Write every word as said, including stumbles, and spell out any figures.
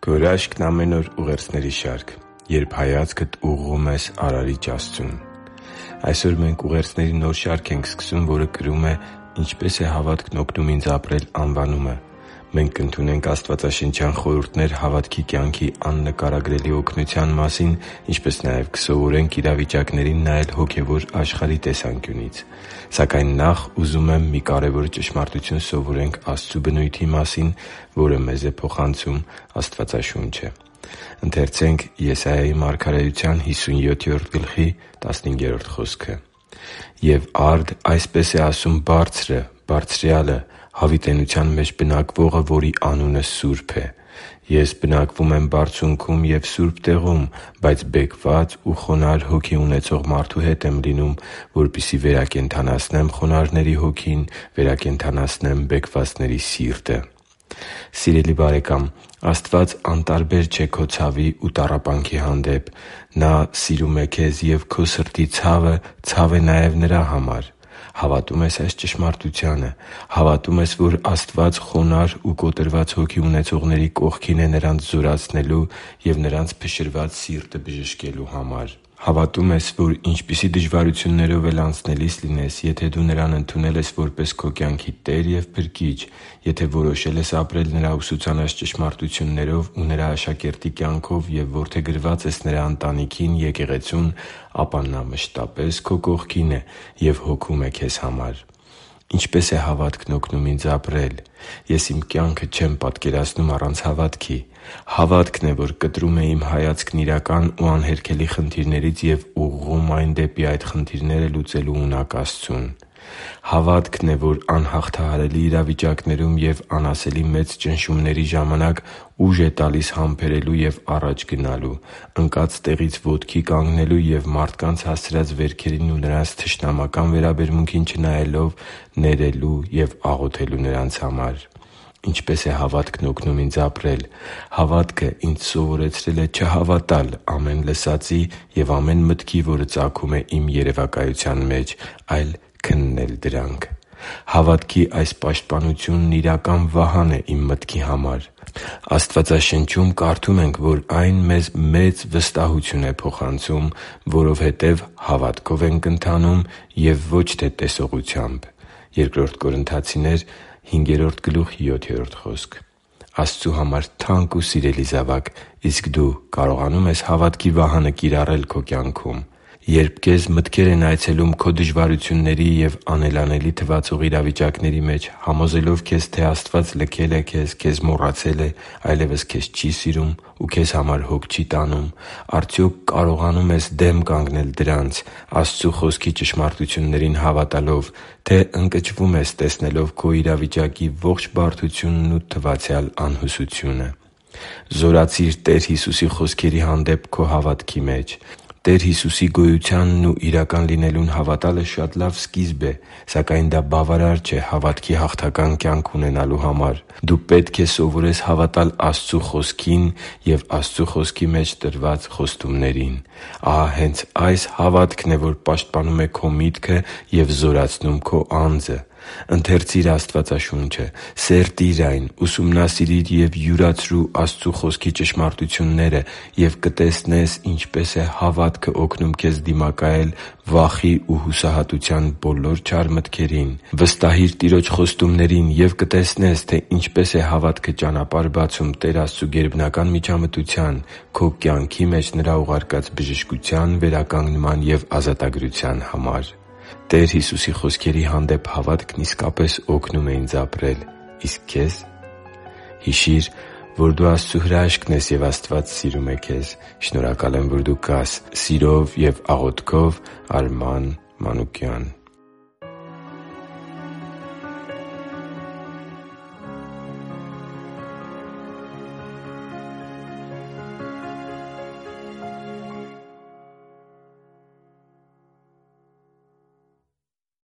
Քո հրաշքն ամեն օր ուղերձների շարք, երբ հայացքդ ուղղում ես Արարիչ Աստծուն։ Այսօր մենք ուղերձների նոր շարք ենք սկսում, որը կրում է «Ինչպե՞ս է հավատքն օգնում ինձ ապրել» անվանումը։ Մենք կընդունենք աստվածաշնչյան խորհուրդներ հավատքի կյանքի աննկարագրելի օգնության մասին, ինչպես նաև կսովորենք իրավիճակներին նայել հոգևոր աշխարհի տեսանկյունից։ Սակայն նախ ուզում եմ մի կարևոր ճշմարտություն սովորենք Աստծու բնույթի մասին, որը մեզ է փոխանցում Աստվածաշունչը։ Ընթերցենք Եսայիայի մարգարեության հիսունյոթերորդ գլխի տասնհինգերորդ խոսքը. «Եվ արդ այսպես է ասում Բարձրը, Բարձրյալը, հավիտենության մեջ բնակվողը, որի անունը Սուրբ է. Ես բնակվում եմ բարձունքում և սուրբ տեղում, բայց բեկված ու խոնարհ հոգի ունեցող մարդու հետ եմ լինում, որպեսզի վերակենդանացնեմ խոնարհների հոգին, վերակենդանացնեմ բեկվածների սիրտը» (Եսայիա) Սիրելի՛ բարեկամ, Աստված անտարբեր չէ քո ցավի ու տառապանքի հանդեպ։ Նա սիրում է քեզ, և քո սրտի ցավը ցավ է նաև Նրա համար։ Հավատո՞ւմ ես այս ճշմարտությանը։ Հավատո՞ւմ ես, որ Աստված խոնարհ ու կոտրված հոգի ունեցողների կողքին է նրանց զորացնելու և նրանց փշրված սիրտը բժշկելու համար։ Հավատո՞ւմ ես, որ ինչպիսի դժվարություններով էլ անցնելիս լինես, եթե դու Նրան ընդունել ես որպես քո կյանքի Տեր և Փրկիչ, եթե որոշել ես ապրել Նրա ուսուցանած ճշմարտություններով ու Նրա աշակերտի կյանքով և որդեգրված ես Նրա ընտանիքին՝ եկեղեցուն, ապա Նա մշտապես քո կողքին է և հոգում է քեզ համար։ Ինչպե՞ս է հավատքն օգնում ինձ ապրել։ Ես իմ կյանքը չեմ պատկերացնում առանց հավատքի։ Հավատքն է, որ կտրում է իմ հայացքն իրական ու անհերքելի խնդիրներից և ուղղում այն դեպի այդ խնդիրները լուծելու ունակ Աստծուն։ Հավատքն է, որ անհաղթահարելի իրավիճակներում և անասելի մեծ ճնշումների ժամանակ ուժ է տալիս համբերելու և առաջ գնալու, ընկած տեղից ոտքի կանգնելու և մարդկանց հասցրած վերքերին ու նրանց թշնամական վերաբերմունքին չնայելով ներելու և աղոթելու նրանց համար։ Ինչպե՞ս է հավատքն օգնում ինձ ապրել։ Հավատքը ինձ սովորեցրել է չհավատալ ամեն լսածի և ամեն մտքի, որը ծագում է իմ երևակայության մեջ, այլ քննել դրանք։ Հավատքի այս պաշտպանությունն իրական վահան է իմ մտքի համար։ Աստվածաշնչում կարդում ենք, որ այն մեզ մեծ վստահություն է փոխանցում, որովհետև հավատքով ենք ընթանում և ոչ թե տեսողությամբ (Բ Կորնթացիներ հինգերորդ գլուխ յոթերորդ խոսք)։ Աստծու համար թանկ ու սիրելի՛ զավակ, իսկ դու կարողանո՞ւմ ես հավատքի վահանը կիրառել քո կյանքում։ Երբ քեզ մտքեր են այցելում քո դժվարությունների և անելանելի թվացող իրավիճակների մեջ, համոզելով քեզ, թե Աստված լքել է քեզ, քեզ մոռացել է, այլևս քեզ չի սիրում ու քեզ համար հոգ չի տանում, արդյոք կարողանո՞ւմ ես դեմ կանգնել դրանց՝ Աստծու Խոսքի ճշմարտություններին հավատալով, թե ընկճվում ես՝ տեսնելով քո իրավիճակի ողջ բարդությունն ու թվացյալ անհուսությունը։ Զորացի՛ր Տեր Հիսուսի խոսքերի հանդեպ քո հավատքի մեջ։ Տեր Հիսուսի գոյությանն ու իրական լինելուն հավատալը շատ լավ սկիզբ է, սակայն դա բավարար չէ հավատքի հաղթական կյանք ունենալու համար։ Դու պետք է սովորես հավատալ Աստծու Խոսքին և Աստծու Խոսքի մեջ տրված խոստումներին։ Ահա հենց այս հավատքն է, որ պաշտպանում է քո միտքը և զորացնում քո անձը։ Ընթերցի՛ր Աստվածաշունչը, սերտի՛ր այն, ուսումնասիրի՛ր և յուրացրու Աստծու Խոսքի ճշմարտությունները և կտեսնես ինչպես է հավատքը օգնում քեզ դիմակայել վախի ու հուսահատության բոլոր չար մտքերին։ Վստահի՛ր Տիրոջ խոստումներին և կտեսնես, թե ինչպես է հավատքը ճանապարհ բացում Տեր Աստծու գերբնական միջամտության, քո կյանքի մեջ Նրա ուղարկած բժշկության, վերականգնման և ազատագրության համար։ Տեր Հիսուսի խոսքերի հանդեպ հավատքն իսկապես օգնում է ինձ ապրել։ Իսկ քե՞զ։ Հիշի՛ր, որ դու Աստծո հրաշքն ես, և Աստված սիրում է քեզ։ Շնորհակալ եմ, որ դու կա՛ս։ Սիրով և աղոթքով, Արման Մանուկյան։